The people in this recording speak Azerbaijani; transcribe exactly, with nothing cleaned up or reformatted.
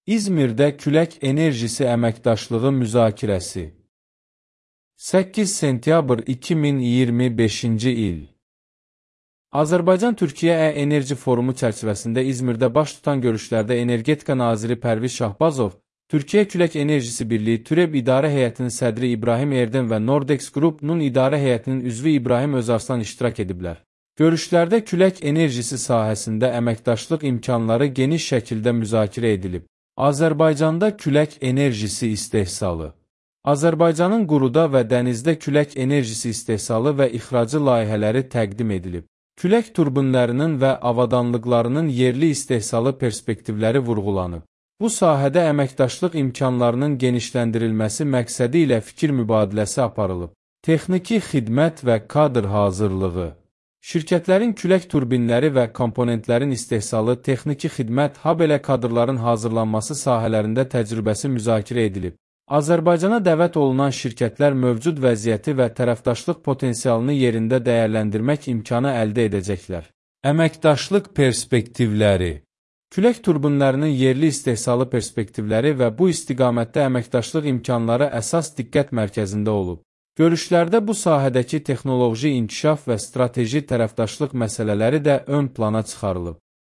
İzmirdə külək enerjisi əməkdaşlığı müzakirəsi. səkkiz sentyabr iki min iyirmi beşinci il. Azərbaycan-Türkiyə E-Enerji Forumu çərçivəsində İzmirdə baş tutan görüşlərdə Energetika naziri Pərviz Şahbazov, Türkiyə Külək Enerjisi Birliyi TÜREB İdarə Heyətinin sədri İbrahim Erden və Nordex Group-nun idarə heyətinin üzvü İbrahim Özarslan iştirak ediblər. Görüşlərdə külək enerjisi sahəsində əməkdaşlıq imkanları geniş şəkildə müzakirə edilib. Azərbaycanda külək enerjisi istehsalı. Azərbaycanın quruda və dənizdə külək enerjisi istehsalı və ixracı layihələri təqdim edilib. Külək turbinlərinin və avadanlıqlarının yerli istehsalı perspektivləri vurğulanıb. Bu sahədə əməkdaşlıq imkanlarının genişləndirilməsi məqsədi ilə fikir mübadiləsi aparılıb. Texniki xidmət və kadr hazırlığı. Şirkətlərin külək turbinləri və komponentlərin istehsalı, texniki xidmət, habelə kadrların hazırlanması sahələrində təcrübəsi müzakirə edilib. Azərbaycana dəvət olunan şirkətlər mövcud vəziyyəti və tərəfdaşlıq potensialını yerində dəyərləndirmək imkanı əldə edəcəklər. Əməkdaşlıq perspektivləri. Külək turbinlərinin yerli istehsalı perspektivləri və bu istiqamətdə əməkdaşlıq imkanları əsas diqqət mərkəzində olub. Görüşlərdə bu sahədəki texnoloji inkişaf və strateji tərəfdaşlıq məsələləri də ön plana çıxarılıb.